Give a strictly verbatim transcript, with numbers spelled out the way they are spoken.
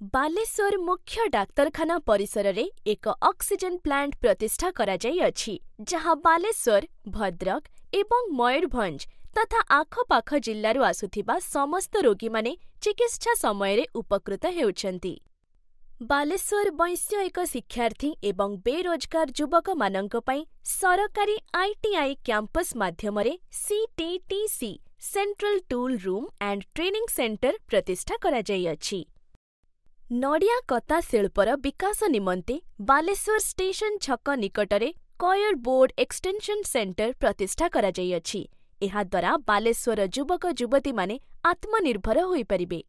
ବାଲେଶ୍ୱର ମୁଖ୍ୟ ଡାକ୍ତରଖାନା ପରିସରରେ ଏକ ଅକ୍ସିଜେନ୍ ପ୍ଲାଣ୍ଟ ପ୍ରତିଷ୍ଠା କରାଯାଇଅଛି, ଯାହା ବାଲେଶ୍ୱର, ଭଦ୍ରକ ଏବଂ ମୟୂରଭଞ୍ଜ ତଥା ଆଖପାଖ ଜିଲ୍ଲାରୁ ଆସୁଥିବା ସମସ୍ତ ରୋଗୀମାନେ ଚିକିତ୍ସା ସମୟରେ ଉପକୃତ ହେଉଛନ୍ତି। ବାଲେଶ୍ୱର ବୈଷୟିକ ଶିକ୍ଷାର୍ଥୀ ଏବଂ ବେରୋଜଗାର ଯୁବକମାନଙ୍କ ପାଇଁ ସରକାରୀ I T I campus ମାଧ୍ୟମରେ C T T C central tool room and training centre ପ୍ରତିଷ୍ଠା କରାଯାଇଅଛି। ନଡ଼ିଆ କତା ଶିଳ୍ପର ବିକାଶ ନିମନ୍ତେ ବାଲେଶ୍ୱର ଷ୍ଟେସନ ଛକ ନିକଟରେ କୟର୍ ବୋର୍ଡ଼ ଏକ୍ସଟେନସନ୍ ସେଣ୍ଟର ପ୍ରତିଷ୍ଠା କରାଯାଇଅଛି। ଏହାଦ୍ୱାରା ବାଲେଶ୍ୱରର ଯୁବକ ଯୁବତୀମାନେ ଆତ୍ମନିର୍ଭର ହୋଇପାରିବେ।